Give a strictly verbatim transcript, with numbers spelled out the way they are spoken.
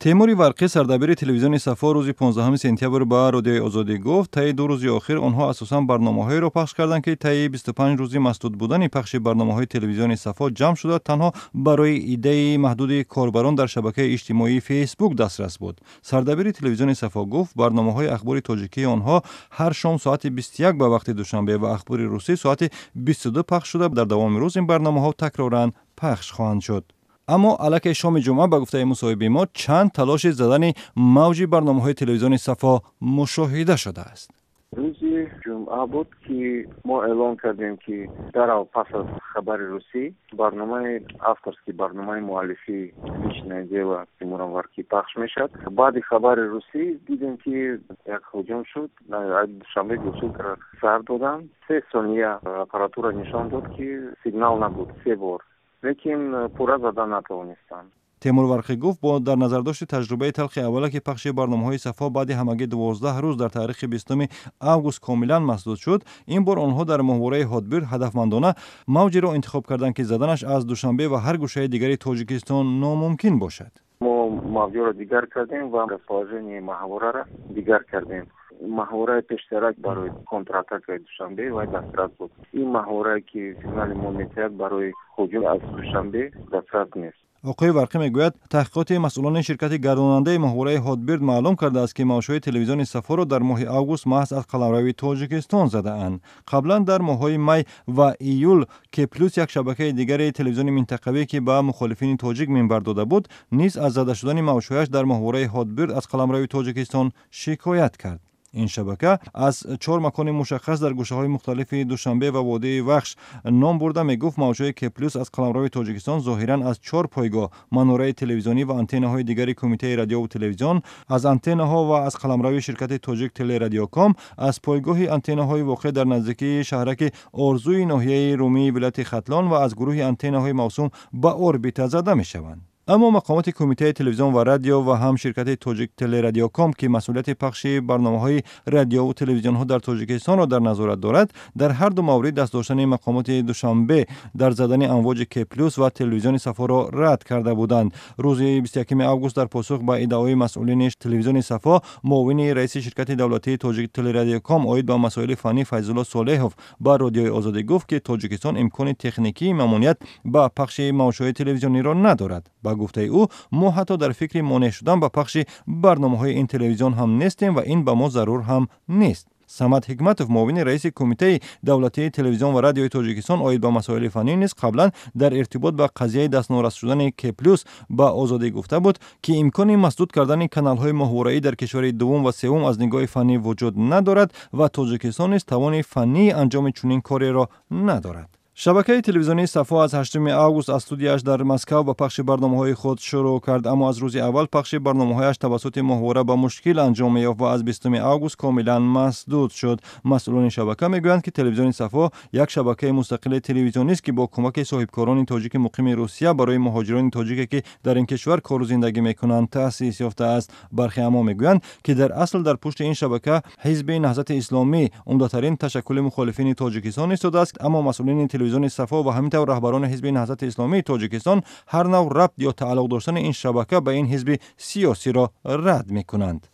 Темури Варқӣ, сардабири телевизиони Сафо, рӯзи понздаҳуми сентябр ба Радиои Озодӣ гуфт, таи ду рӯзи охир онҳо асосан барномаҳоеро пахш карданд, ки таи бисту панҷ рӯзи масдуд будани пахши барномаҳои телевизиони Сафо ҷамъ шуда, танҳо барои иддаи маҳдуди корбарон дар шабакаи иҷтимоии Фейсбук дастрас буд. Сардабири телевизиони Сафо гуфт, барномаҳои ахбори тоҷикии онҳо ҳар шом соати бисту як ба вақти Душанбе ва ахбори русӣ соати бисту ду пахш шуда, дар давоми рӯз ин барномаҳо такроран пахш хоҳанд шуд. Аммо аллакай шоми ҷумъа, ба гуфтаи мусоҳиби мо, чанд талоши задани мавҷи барномаҳои телевизиони Сафо мушоҳида шудааст. Рӯзи ҷумъа буд, ки мо эълон кардем, ки дарав пас аз хабари русӣ барномаи авторский, барномаи муаллифӣ «Личное дело» Тимурам Варки пахш мешавад. Баъди хабари русӣ дидем, ки як ҳуҷум шуд. Душанбе гусулкара сар доданд. Се сония аппаратура нишон дод, ки сигнал набуд, се бор, лекин пурра зада натавонистанд. Темур Варқӣ гуфт, бо дар назардошти таҷрибаи талхи аввала, ки пахши барномаҳои Сафо баъди ҳамагӣ дувоздаҳ рӯз дар таърихи бистуми август комилан масдуд шуд, ин бор онҳо дар моҳвораи Ҳотбир ҳадафмандона мавҷеро интихоб карданд, ки заданаш аз Душанбе ва ҳар гӯшаи дигари Тоҷикистон номумкин бошад. Мо мавҷоро дигар кардем ва расположение маҳвораро дигар кардем. Маҳвораи пештарак барои контратакаи Душанбе вай дастрас буд. Ин маҳворае, ки сигнали мо метиҳад, барои ҳуҷум аз Душанбе дастрас нест. Оқои Варқӣ мегӯяд, таҳқиқоти масъулони ширкати гардонандаи моҳвораи Ҳотбирд маълум кардааст, ки мавҷҳои телевизиони Сафоро дар моҳи август маҳз аз қаламрави Тоҷикистон задаанд. Қаблан дар моҳҳои май ва июл К плюс, як шабакаи дигари телевизиони минтақавӣ, ки ба мухолифини тоҷик минбар дода буд, низ аз зада шудани мавҷҳояш дар моҳвораи Ҳотбирд аз қаламрави Тоҷикистон шикоят кард. Ин шабака аз чор макони мушаххас дар гӯшаҳои мухталифи Душанбе ва водии Вахш ном бурда, мегуфт, мавҷҳои К плюс аз қаламрави Тоҷикистон зоҳиран аз чор пойгоҳ, манораи телевизионӣ ва антеннаҳои дигари Кумитаи радиову телевизион, аз антеннаҳо ва аз қаламрави ширкати Тоҷик Телерадиоком, аз пойгоҳи антеннаҳои воқеъ дар наздикии шаҳраки Орзуи ноҳияи Румии вилояти Хатлон ва аз гурӯҳи антеннаҳои мавсум ба орбита зада мешаванд. Аммо мақомоти Кумитаи телевизион ва радио ва ҳам ширкати Тоҷик Телерадиоком, ки масъулияти пахши барномаҳои радиову телевизионҳо дар Тоҷикистонро дар назорат дорад, дар ҳар ду маврид даст доштани мақомоти Душанбе дар задани амвоҷи К плюс ва телевизиони Сафоро рад карда буданд. Рӯзи бисту якуми август дар посух ба иддаои масъулини телевизиони Сафо, муовини раиси ширкати давлатии Тоҷик Телерадиоком оид ба масоили фаннӣ Файзулло Солеҳов ба Радиои Озодӣ гуфт, ки Тоҷикистон имкони техникии мамоният ба пахши мавҷҳои телевизиониро надорад. Ба гуфтаи ӯ, мо ҳатто дар фикри монеъ шудан ба пахши барномаҳои ин телевизион ҳам нестем ва ин ба мо зарур ҳам нест. Самад Ҳикматов, муовини раиси Кумитаи давлатии телевизион ва радиои Тоҷикистон оид ба масоили фаннӣ, низ қаблан дар иртибот ба қазияи дастнорас шудани К плюс ба Озодӣ гуфта буд, ки имкони масдуд кардани каналҳои моҳвораӣ дар кишвари дуввум ва севум аз нигоҳи фаннӣ вуҷуд надорад ва Тоҷикистон низ тавони фаннии анҷоми чунин кореро надорад. Шабакаи телевизионии Сафо аз ҳаштуми август аз студияш дар Москав ба пахши барномаҳои худ шурӯъ кард, аммо аз рӯзи аввал пахши барномаҳояш тавассути моҳвора ба мушкил анҷом меёфт ва аз бистуми август комилан масдуд шуд. Масъулони шабака мегӯянд, ки телевизиони Сафо як шабакаи мустақили телевизионист, ки бо кӯмаки соҳибкорони тоҷики муқими Русия барои муҳоҷирони тоҷике, ки дар ин кишвар кору зиндагӣ мекунанд, таъсис ёфтааст. Бархе аммо мегӯянд, ки дар асл дар пушти ин шабака Ҳизби Наҳзати Исломӣ, умдатарин ташаккули мухолифини Тоҷикистон, истодааст. Аммо масъулини телевизиони Сафо ва ҳамин тавр раҳбарони Ҳизби Наҳзати Исломии Тоҷикистон ҳар нав рабт ё тааллуқ доштани ин шабака ба ин ҳизби сиёсиро рад мекунанд.